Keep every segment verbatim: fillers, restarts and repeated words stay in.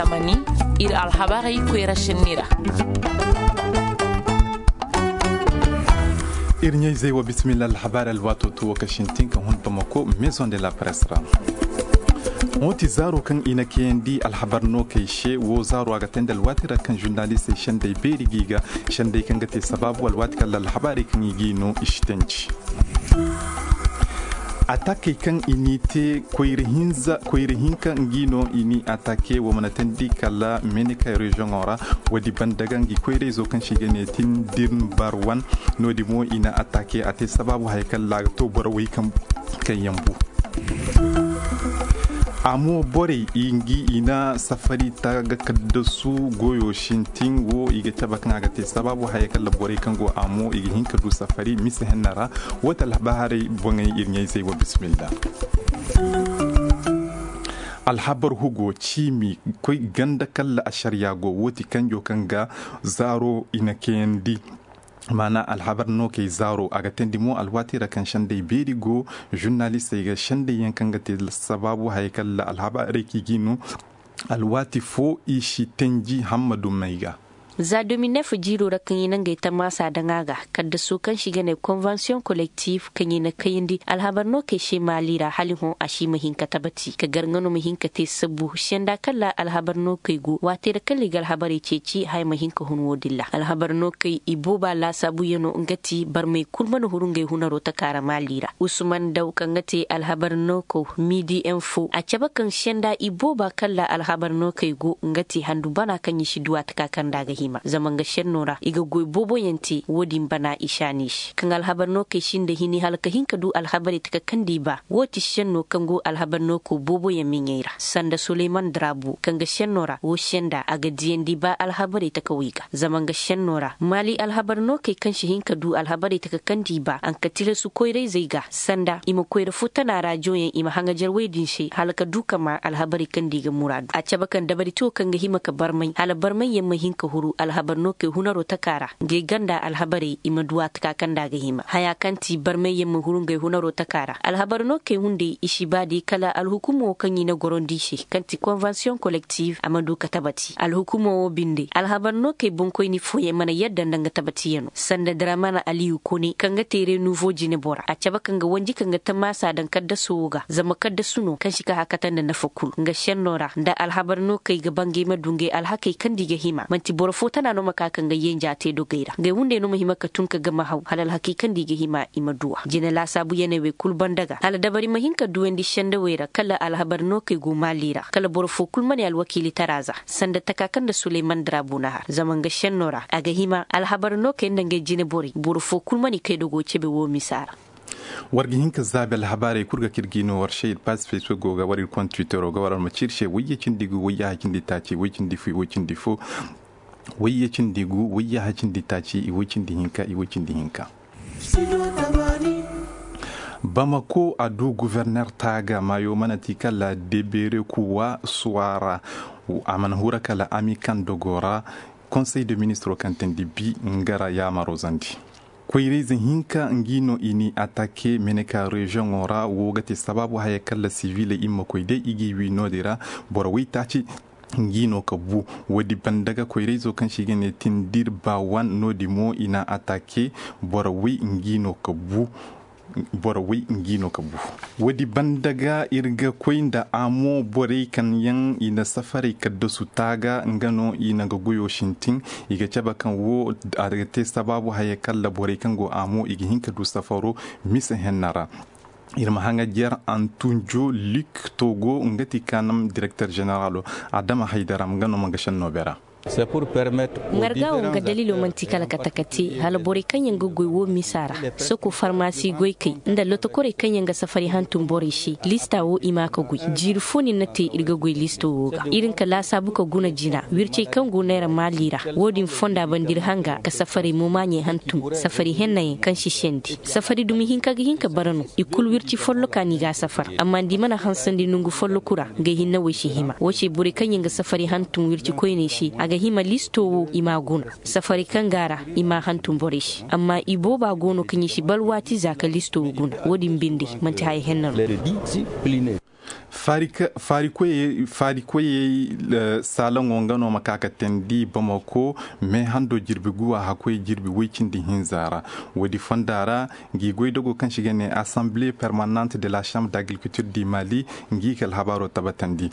Tamani, ir alhabarey koyra senni ra. Ir ɲayzey wa bisimilla alhabaari alwaato to wo ka sintin ka hun bamako maison de la presse ra. Wo ti zaaro kaŋ i na kayandi alhabar no kay se wo zaaro a ga tayndi alwaati ra kaŋ žurnalistey sendey beeri ga i ga sendey kaŋ ga te sabaabu alwaati kala alhabaarey kaŋ i ga i no i si tanji. Atakey kaŋ i n'i te koyra hinka ngi no i n'i atake wo mana teendi kala menika reziyoŋo ra. Woodi banda ga ngi koyrayzo kaŋ se i ga ne tindir bar wan. Noodi mo i na atake a te sabaabu haya kaŋ ra a ga to boro wey kaŋ yaŋ bu. A mo borey i ngi i na safari ta ga kaddasu goyo sintin wo i ga cabe kaŋ a ga te sabaabu haya kaŋ ra borey kaŋ go a mo i ga hin ka du safari mise henna ra. Wo ti alhabaarey boŋey ir ɲayzey wa bisimilla. Alhabar hugo ciimi koy ganda kalla ašariya go wo ti kanjo kaŋ ga zaaro i na kayandi. Maana alhabar no kay zaaro a ga teendi mo alwaati ra kaŋ sendey beeri go žurnalistey ga sendey yaŋ kaŋ ga te sabaabu haya kalla alhabaarey kaŋ i ga i no. Alwaati foo i si tanji hammadu may ga. Za dominef jiiro ra kaŋ i na ngey tamaasa daŋ a ga kaddasu kaŋ se i ga ne konvensiyoŋ kolektif kaŋ i na kayandi alhabar no kay se maali ra hala i hõ a si ma hin ka tabati ka gar nga no ma hin ka te sabbu senda kala alhabar no kay go waati ra kala i ga alhabarey ceeci haya ma hin ka hun wo-din ra alhabar no kay i booba laasaabuyanoo nga ti barmey kul mana huru ngey hunaroo taka ra maali ra. Usman daw kaŋ ga te alhabar no kaw miidi enfo a cabe kaŋ senda i booba kala alhabar no kay go nga ti handu bana kaŋ i si duwa taka kaŋ nda a ga hima zama nga senno ra i ga goy booboyaŋ te wo-din bana i saani se kaŋ alhabar no kay sinda hini hala ka hin ka du alhabarey taka kaŋ nda i ba wo ti senno kaŋ go alhabar no kaw booboyaŋ miɲey ra sanda suleyman drabu kaŋ ga senno ra wo senda a ga diyandi ba alhabarey taka wey ga zama nga senno ra maali alhabar no kay kaŋ si hin ka du alhabarey taka kaŋ nda i ba a nka tilasu koyrayzey ga sanda i ma koyra foo tana raajoyaŋ i ma haŋajer wey din se hala ka du ka maa alhabarey kaŋ nda i ga muraadu a cabe kaŋ dabari te wo kaŋ ga hima ka barmay hala barmayyaŋ ma hin ka huru alhabar no kay hunaroo taka ra ngey ganda alhabarey i ma du a taka kaŋ nda a ga hima haya kaŋ ti barmayyaŋ ma huru ngey hunaroo taka ra alhabar no kay hunday i si ba day kala alhukumoo kaŋ i na gorondi i se kaŋ ti konvensiyoŋ kolektif a ma du ka tabati alhukumoo wo binde alhabar no kay boŋkoyni fooyaŋ mana yadda nda nga tabatiyanoo sanda dramana aliyu kone kaŋ ga te renuvo jinebora a cabe kaŋ ga wanji kaŋ ga tamaasa daŋ kaddasu wo ga zama kaddasu no kaŋ si ka hakata nda nafa kul nga senno ra nda alhabar no kay ga ba ngey ma du ngey alhakey kaŋ nda i ga hima man'ti boro foo tana no ma ka ka ngey yenja te dogey ra ngey hunday no ma hima ka tun ka gama haw hala alhakey kaŋ nda i ga hima i ma duw'a jine laasaabuyaney wey kul banda ga hala dabari ma hin ka duwandi sendawey ra kala alhabar no kay go maali ra kala boro foo kul ma ne alwakiilitara za sanda taka kaŋ nda suleyman drabu na har zama nga senno ra a ga hima alhabar no kay nda ngey jineborey boro foo kul ma ne kay dogo cebe woo misa ra. War ga hin ka zaabi alhabaarey kul ga kaŋ ir ga i no war se ir paas facebook go ga war ir kont twittero ga war alma ci ir se wayye cindi gu wayye hacindi taaci wayye cindi fo wayye cindi fo wayye cindi gu wayye hacindi taaci wayye cindi hinka wayye cindi hinka. Bamako a du guverner taaga maayo mana ti kala debeere kuwa suwara. A mana hura kala ami kaŋ dogo ra konsey de ministro kaŋ teendi bi nga ra yaamaro zandi. Koyrayze hinka ngi no i n'i atake meneka reziyoŋo ra wo ga te sabaabu haya kalla siviley i ma koy day i g'i wi noodin ra. Boro waytaaci ngi no ka bu. Woodi banda ga koyrayzo kaŋ se i ga ne tindir baawan noodin mo i n'a atake. Boro way ngi no ka bu. Boro way ngi no ka bu. Woodi banda ga ir ga koy nda amo borey kaŋ yaŋ i na safarey kaddasu taaga nga no i na nga goyo sintin. I ga cabe kaŋ wo a ga te sabaabu haya kalla borey kaŋ go amo i ga hin ka du safaro mise henna ra. Ir ma haŋajer antunjo lik togo nga ti kaanam direkter ženeralo adama haydara nga no ma nga senno bera. Ŋargaawo nga daliilo man'ti kala ka taka te hala borey kaŋ yaŋ ga goy wo misa ra soko farmasi goykey nda lotokorey kaŋ yaŋ ga safari hantum borey se lista wo i ma ka goy. Jiiri fo ni na te ir ga goy listo wo ga ir nka laasaabu ka guna jina wircey kaŋ go neera maali ra. Wo-din fonda banda ir hanga ka safarey momaaɲey hantum safari hennayaŋ kaŋ si sendi safari dumi hinka ga hin ka bara no. I kulu wirci folloka no i g'a safar amma nda i mana hansandi nongu folloku ra. Ngey hinne wey si hima wo se borey kaŋ yaŋ ga safari hantum wirci koyney se a ga hima listo wo i m'a guna. Safari kaŋ go a ra i m'a hantum borey se amma i booba go no kaŋ i si baa alwaati za ka listo wo guna. Wo-din binde man'ti haya henna no. Faari koyey saalaŋo nga no ma ka ka teendi bamako, mee hando jirbi guwa hakkoy jirbi woy cindi hinza ra. Woodi fonda ra, ngi goydogo kaŋ se i ga ne assemble permanente de la chambre d'agriculture du mali, ngi ka alhabaaro tabatandi.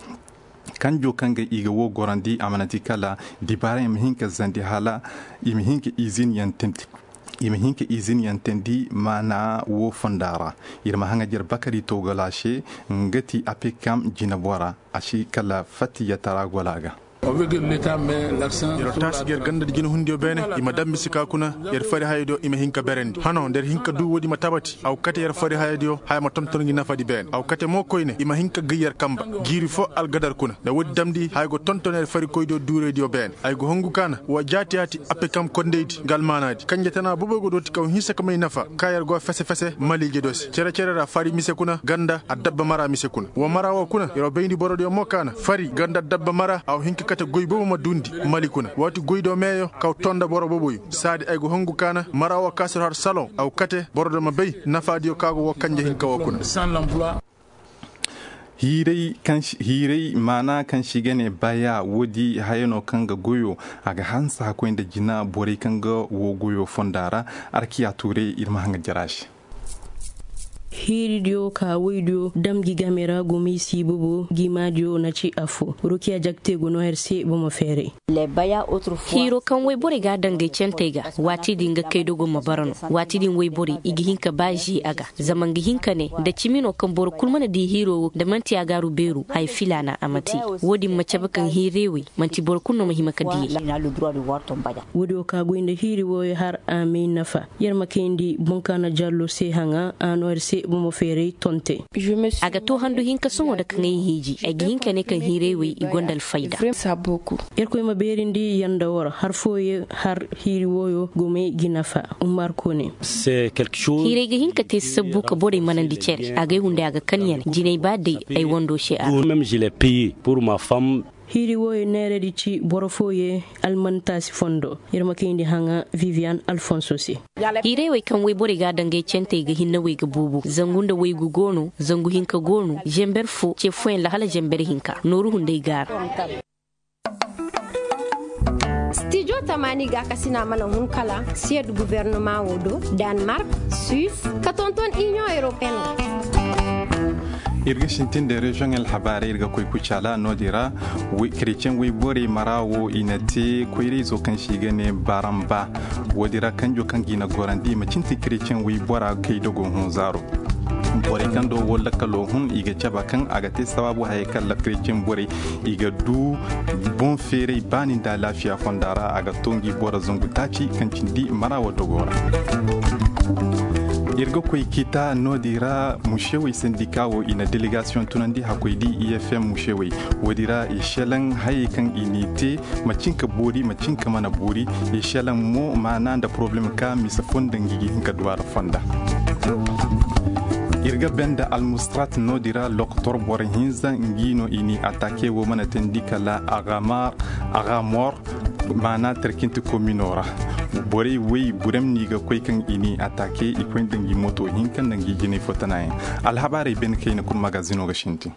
Kanjo kaŋ ga i ga woo gorandi a mana ti kala dibaara i ma hin ka zandi hala i ma hin ka izin yaŋ teendi. I ma hin ka izin yaŋ teendi maana woo fonda ra. Ir ma haŋajer bakari togala se, nga ti apekam jinabora a si kala fatti yatara gola ga. Yer taasi ga yer ganda nda jinahundiyo beene, i ma dambi si ka kuna. Yer fari hayadiyo i ma hin ka berandi hano nda yer hin ka duu woodi ma tabati a go kate yer fari hayadiyo haya ma tonton ngi nafadi beene a go kate mo koyne i ma hin ka gay yer kanba. Jiiri foo algadar kuna nda woodi damndi haya go tonton yer farikoydiyo duuraydiyo beene ay go hongu ka na wa jaati-yaati, apekam kondaydi nga almaanaadi kanje tana boboy go dooti kaw hinsa ka may nafa ka yer go fese-fese maliijediyo se cere-cere ra fari mise kuna ganda addabba mara mise kuna wa mara woo kuna yer wa bayndi borodiyo mo ka na fari ganda addabba mara a wa hin ka kate goy boobo ma duundi mali kuna waati goydiyo meeyo kaw to nda boro booboyo. Saadi ay go hongu ka na mara woo ka si yer har saloŋ a go kate borodiyo ma bay nafaadiyo ka go woo kanje hinka woo kuna. Hiiray maana kaŋ se i ga ne baya woodi haya no kaŋ ga goyo a ga hanse hakkoy nda jina borey kaŋ ga woo goyo fonda ra. Arkiya tuuray ir ma haŋa jara se. Hiiridiyo ka woydiyo dam gi game ra gomey si bobo gi maadiyo na ci affo rukiya jakte go no her se bomo feeray. Hiiro kaŋ woyborey ga a daŋ gay cantey ga waati din ga kay dogo ma bara no. Waati din woyborey i ga hin ka ba ze a ga zama nga hin ka ne nda cimi no kaŋ boro kul mana di hiiro wo nda man'ti a gaaru beeru haya filaana a ma te. Wo-din ma cabe kaŋ hiirey wey man'ti boro kul no ma hima ka diyey. Wo-din wo ka goy nda hiiri wooyo har a may nafa. Yer ma kayndi boŋ ka na jallo se haŋa a no yer se bomo feeray tonte. A ga to handu hinka sohõ nda kaŋ ay hiiji ay ga hin ka ne kaŋ hiirey wey i gonda alfayda. Irkoy ma beerindi yer nda war har fooyaŋ har hiiri wooyo gomey ga nafa. Umar kone. Hiirey ga hin ka te sabbu ka borey manandi cere a gay hunday a ga kan yane jinay ba day ay wando se a. Hiiri wooyo neeredi ci boro fooyaŋ almantaasi fondo. Yer ma kayndi haŋa vivian alfonso se. Hiirey wey kaŋ woyborey ga a daŋ gay cantey ga hinne wey ga buubu zangu nda waygu go no zangu hinka go no zember fo ce fooyaŋ ra hala zember hinka nooru hunday gaara. Stijo tamaani gaakasina mana hun kala siyed gubernama wo do danmark, suis ka tonton inion europeen. Ir ga sintin nda reziyoŋ alhabaarey ir ga koy kucaala no-din ra. Kereceŋ woyborey mara wo i na te koyrayzo kaŋ se i ga ne baramba. Wo-din ra kanjo kaŋ ga i na gorandi i ma cinti kereceŋ woybora kay dogo hun zaaro. Borey kaŋ do wo lakkalo hun i ga cabe kaŋ a ga te sabaabu hayey kaŋ lakkarey cimborey i ga du boŋ feeray baani nda alaafiya fonda ra a ga to ngi boro zangu taaci kaŋ cindi mara wo dogo ra. Ir ga koy kita no-din ra musewey sandika wo i na delegasiyoŋ tunandi hakkoy di i f m musewey. Wo-din ra i selaŋ hayey kaŋ i n'i te macin ka boori macin ka mana boori. I selaŋ mo maana nda poroblem ka mise fo nda ngi ga hin ka du a ra fonda. Ir ga banda almustrat no-din ra lokotor boro hinza ngi no i n'i atake wo mana teendi kala agamor. Maana tarkinti komino ra borey wey burem no i ga koy kaŋ i n'i atake i koy nda ngi moto hinka nda ngi jinay fo tanayaŋ. Alhabaarey bene kayna kul magazino ga sintin.